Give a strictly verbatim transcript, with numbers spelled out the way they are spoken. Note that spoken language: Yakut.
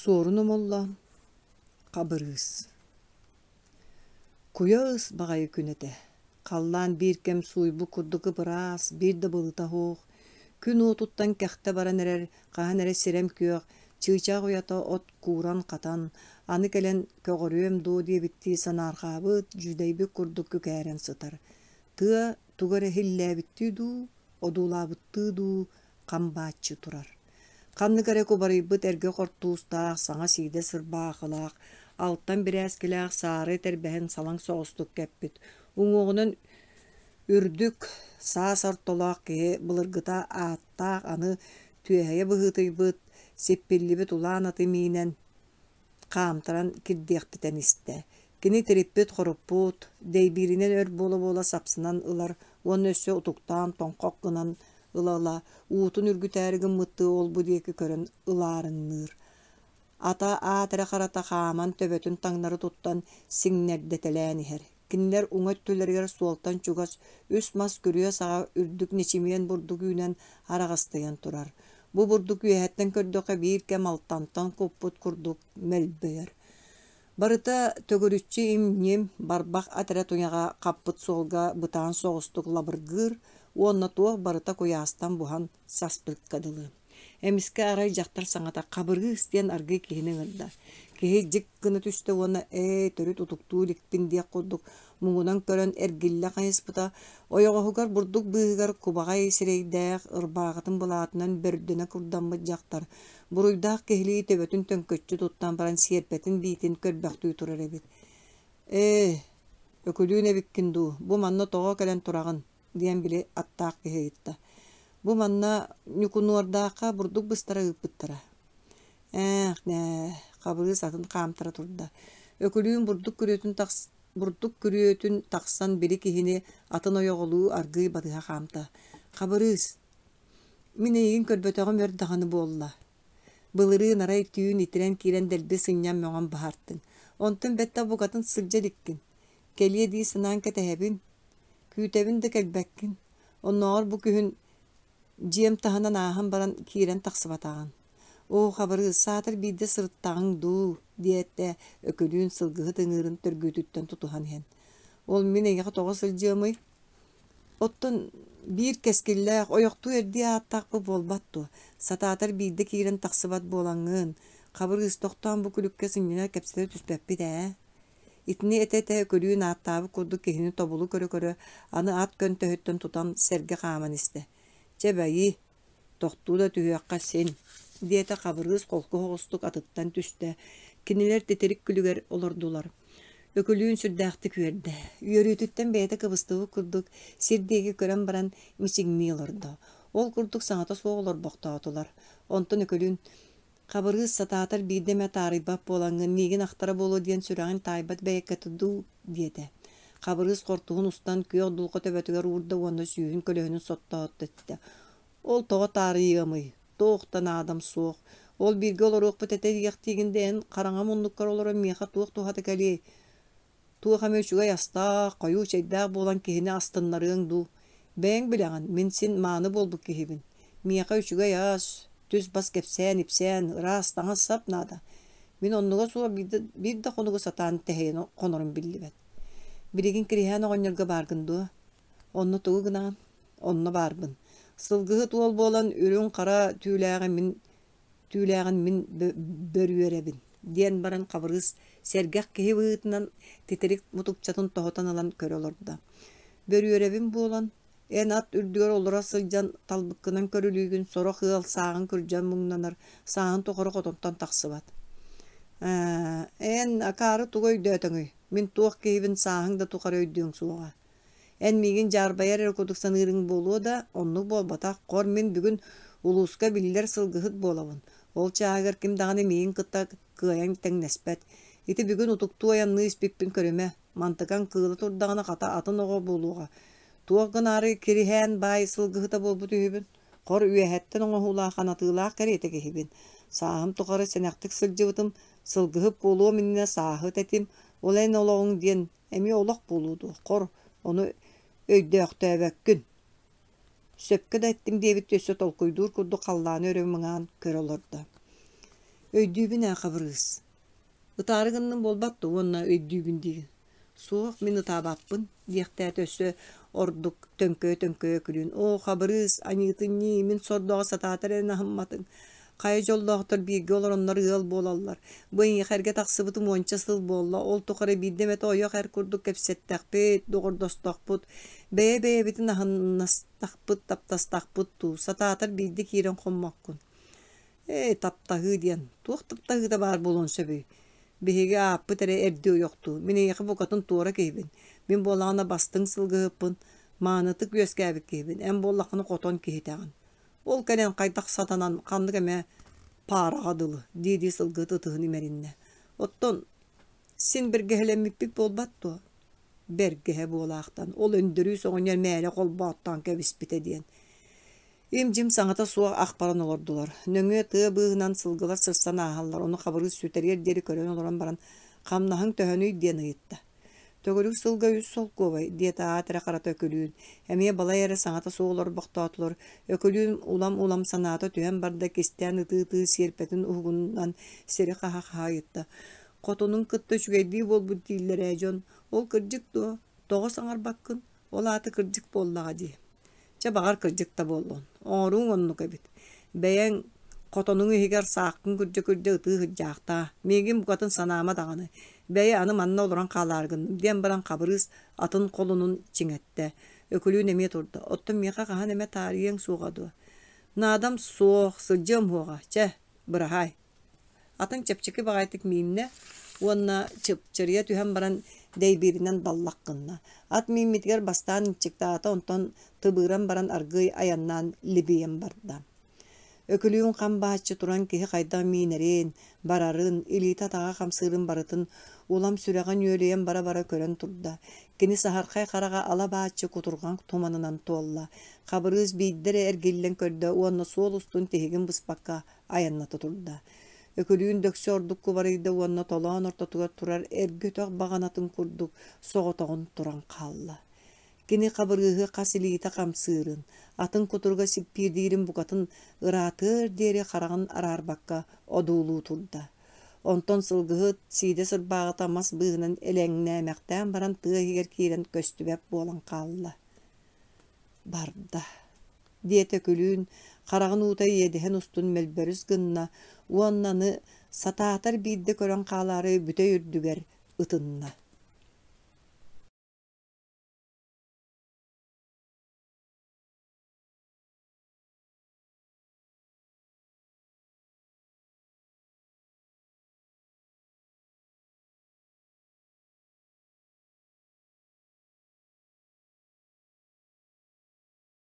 Суорун Омоллоон, Хабырыыс. Куйа ыс баҕайы күн этэ. Халлаан биир кэм сууйбут курдук ып-ыраас, биир да былыта суох. Күн уотуттан кэхтэ баран эрэр, хаһан эрэ сирэм күөх, чыычаах уйата от кууран-хатан, аны кэлэн көҕөрүөм дуо диэбиттии санаарҕаабыт, дьүдэйбит курдук күкээрэн сытар. Тыа тугу эрэ иһиллээбиттии дуу, одуулаабыттыы дуу хам бааччы турар. Ханнык эрэ кубарыйбыт эргэ хортуустаах, саҥа сиидэ сырбаахылаах, алтан бирээскилээх саары тэрбэһин салаҥ соҕустук кэппит, уҥуоҕунан үрдүк, саас ортолоох киһи былыргыта ааттаах аны түөһэйэ быһыытыйбыт, сиппиллибит улаан аты миинэн хаамтаран кирдиэхтитэн истэ. Кини тириппит-хоруппут, дэйбииринэн өр буола-буола сапсынан ылар уонна өссө утуктаан тоҥхох гынан ыла-ыла, уутун үргүтээри гыммыттыы ол-бу диэки көрөн ылаарыҥныыр. Ата аат эрэ харата хааман төбөтүн таҥнары туттан сиҥнэрдэтэлээн иһэр. Кинилэр уҥа өттүлэригэр суолтан чугас үс мас күрүө саҕа үрдүк ньэчимиэн бурдук үүнэн араҕастыйан турар. Бу бурдук үөһэттэн көрдөххө биир кэм алтантан куппут курдук мөлбөйөр. Барыта төгүрүччү им-ньим, барбах ат эрэ туйаҕа хаппыт суолга бытаан соҕустук лабыргыыр уонна туох барыта куйаастан буһан саспыкка дылы. Эмискэ арай дьахтар саҥата «Хабырыыс» диэн аргыый киһини ыҥырда. Киһи дьик гына түстэ уонна «Ээ, төрүт утуктуу иликпин» диэх курдук муҥунан көрөн эргиллэ хайыспыта, ойоҕоһугар бурдук быыһыгар кубаҕай сирэйдээх, ырбааҕытын былаатынан бөрдөнө курдаммыт дьахтар буруйдаах киһилии төбөтүн төҥкөччү туттан баран сиэрпэтин биитин көрбөхтүү турар эбит. «Ээ, Өкүлүүн эбиккин дуу, бу манна тоҕо кэлэн тураҕын?» диэн били аттаах киһи ыйытта. Бу манна Ньукунуордаахха бурдук быстара ыыппыттара. Ээх, нээ, Хабырыыс атын хаамтара турда. Өкүлүүн бурдук күрүөтүн тахс бурдук күрүөтүн тахсан били киһини атын ойоҕолуу аргыый батыһа хаамта. Хабырыыс, мин эйигин көрбөтөҕүм өр даҕаны буолла. Былырыын арай түүн итирэн киирэн дэлби сынньан мөҕөн баһартыҥ. Онтон бэттэх букатын сылдьа иликкин. Кэлиэ дии санаан кэтэһэбин, күүтэбин да кэлбэккин. Оннооҕор бу күһүн дьиэм таһынан ааһан баран киирэн тахсыбатаҕын. Оо, Хабырыыс, саатар биирдэ сырыттаҕыҥ дуу, диэтэ Өкүлүүн сылгыһыт ыҥыырын төргүүтүттэн тутуһан иһэн. Ол мин эйиэхэ тоҕо сылдьыамый? Оттон биир кэскиллээх, ойохтуу эрдии ааттаахпыт буолбат дуо? Сатаатар биирдэ киирэн тахсыбат буолаҥҥын, Хабырыыс, тохтоон бу күлүккэ сынньана кэпсэтэ түспэппит ээ. Итини этэ-этэ Өкүлүүн ааттаабыт курдук киһини тобулу көрө-көрө, аны ат көнтөһүттэн тутан сэргэ хааман истэ. Чэ бэйи, тохтуу да түһүөххэ син, диэтэ Хабырыыс холку соҕустук атыттан түстэ. Кинилэр титирик күлүгэр олордулар. Өкүлүүн сүрдээхтик үөрдэ. Үөрүүтүттэн бэйэтэ кыбыстыбыт курдук сир диэки көрөн баран мичиҥнии олордо. Ол курдук саҥата суох олорбохтоотулар. Онтон Өкүлүүн Хабырыыс сатаатар биирдэ эмэ таарыйбат буолаҥҥын миигин ахтара буолуо диэн сүрэҕиҥ таайбат бэйэккэтэ дуу диэтэ. Хабырыыс хортуһун устан күөх дулҕа төбөтүгэр уурда уонна сүүһүн көлөһүнүн соттоотто эттэ. Ол тоҕо таарыйыамый? Туох да наадам суох. Ол бииргэ олоруохпут этэ диэхтиигин да эн хараҥа муннуккар олорон миэхэ туох туһата кэлиэй? Туох эмэ үчүгэй астаах, хойуу чэйдээх буолан киһини астыннарыаҥ дуу? Бэйэҥ билэҕин, мин син мааны буолбут киһибин. Миэхэ үчүгэй ас, түс-бас кэпсээн-ипсээн, ыраас таҥас-сап наада. Мин оннуга суох биир да, биир да хонугу сатаан тэһийэн хонорум биллибэт. Билигин Кириһээн оҕонньорго бааргын дуо? Онно тугу гынаҕын? Онно баарбын. Сылгыһыт уол буолан үрүҥ-хара түүлээҕи мин түүлээҕин мин бөрүөрэбин диэн баран Хабырыыс сэргэх киһи быһыытынан титирик мутукчатын тоһутан ылан көрө олордо. Бөрүөрэбин буолан, эн ат үрдүгэр олоро сылдьан талбыккынан көрүлүүгүн сорох ыал сааҕын күрдьэн муҥнанар, сааһын тухары хотонтон тахсыбат. Ээ, эн акаары тугу өйдөөтөҥүй? Мин туох киһибин сааһыҥ да тухары өйдүөҥ суоҕа. Эн миигин дьаарбайар эрэ курдук саныырыҥ буолуо да, оннук буолбатах. Хор мин бүгүн улууска биллэр сылгыһыт буолабын. Ол чааһыгар ким даҕаны миигин кытта кыайан тэҥнэспэт. Ити бүгүн утуктуу айанныы испиппин көрүмэ. Мантыкаҥ кыыла турдаҕына хата атын оҕо буолуоҕа. Туох гынаары Кириһээн баай сылгыһыта буолбут үһүбүн. Хор үөһэттэн оҥоһуулаах анатыылаах кэриэтэ киһибин. Сааһым тухары сэнэхтик сылдьыбытым, сылгыһыт буолуом иннинэ сааһыт этим. Ол эн олоҕуҥ диэн эмиэ олох буолуо дуо, хор, ону өйдөөхтөөбөккүн. Сөпкө да эттиҥ диэбит өссө толкуйдуур курдук халлааны өрө мыҥаан көрө олордо. Өйдүүбүн ээ, Хабырыыс. Ытаары гынным буолбат дуо уонна өйдүүбүн диигин. Суох, мин ытаабаппын, диэхтээтэ өссө ордук төҥкөйө-төҥкөйө күлүүн. Оо, Хабырыыс, аньыытын ньии, мин сордооҕу сатаатар эрэ аһымматыҥ. Хайа дьоллоохтор бииргэ олороннор ыал буолаллар. Бу эйиэхэ эргэ тахсыбытым уонча сыл буолла, ол тухары биирдэ эмэтэ ойох эр курдук кэпсэттэхпит, доҕордостохпут, бэйэ-бэйэбитин аһыннастахпыт, таптастахпыт дуу, сатаатар биирдэ киирэн хоммоккун. Ээ, таптаһыы диэн, туох таптаһыыта баар буолуон сөбүй? Биһиги ааппыт эрэ эрдии ойохтуу, мин эйиэхэ букатын туора киһибин. Мин буоллаҕына бастыҥ сылгыһыппын, маанытык үөскээбит киһибин, эн буоллаххына хотон киһитэҕин. Ол кэлэн хайдах сатанан ханнык эмэ паараҕа дылы дии-дии сылгыһыт ытыһын имэриннэ. Оттон син бэргэһэлэммиппит буолбат дуо? Бэргэһэ буолаахтан, ол Өндөрүүс оҕонньор мээлэ холбооттоон кэбиспитэ диэн. Им-дьим саҥата суох ах баран олордулар. Нөҥүө тыа быыһынан сылгылар сырсан ааһаллар, ону Хабырыыс сүтэриэр диэри көрөн олорон баран, «Хамнаһыҥ төһөнүй?» диэн ыйытта. «Төгүрүк сылга үс солкуобай», диэтэ аат эрэ харата Өкүлүүн. Эмиэ балай эрэ саҥата суох олорбохтоотулар. Өкүлүүн улам-улам санаата түһэн барда, кистээн ытыы-ытыы сиэрпэтин уһугунан сири хаһа-хаһа ыйытта. «Хотунуҥ кытта үчүгэйдии буолбут дииллэр ээ дьон. Ол кырдьык дуо? Тоҕо саҥарбаккын? Ол аата кырдьык буоллаҕа дии». Чэ, баҕар, кырдьык да буоллун. Оҥорууҥ оннук эбит. Бэйэҥ хотонуҥ иһигэр сааххын күрдьэ-күрдьэ ытыы сылдьаахтаа. Миигин букатын санаама даҕаны. Бэйэ аны манна олорон хаалаары гынным диэн баран Хабырыыс атын холунун чиҥэттэ. Өкүлүүн эмиэ турда. Оттон миэхэ хаһан эмэ таарыйыаҥ суоҕа дуо? Наадам суох, сылдьыам уоҕа. Чэ, быраһаай. Атын чэпчэки баҕайытык мииннэ уонна чыпчырыйа түһэн баран дэйбииринэн даллах гынна. Ат мииммитигэр бастаан ынчыктаата, онтон тыбыыран баран аргыый айаннаан либийэн барда. Өкүлүүн хам бааччы туран киһи хайдах миинэрин, барарын, илиитэ-атаҕа хамсыырын барытын улам сүрэҕэ нүөлүйэн бара-бара көрөн турда. Кини саһархай хараҕа ала-бааччы кутурҕан туманынан туолла. Хабырыыс биирдэ эрэ эргиллэн көрдө уонна суол устун тиһигин быспакка айанната турда. Өкүлүүн дөксө ордук кубарыйда уонна толоон ортотугар турар эргэ өтөх баҕанатын курдук соҕотоҕун туран хаалла. Кини Хабырыыһы хас илиитэ хамсыырын, атын кутуруга сиппиирдиирин букатын ыраатыар диэри хараҕын араарбакка одуулуу турда. Онтон сылгыһыт сиидэ сырбааҕыта мас быыһынан элэҥнээмэхтээн баран тыа иһигэр киирэн көстүбэт буолан хаалла. Барда диэтэ Өкүлүүн, хараҕын уута иэдэһин устун мөлбөрүс гынна уонна аны сатаатар биирдэ көрөн хаалаары бүтэй үрдүгэр ытынна.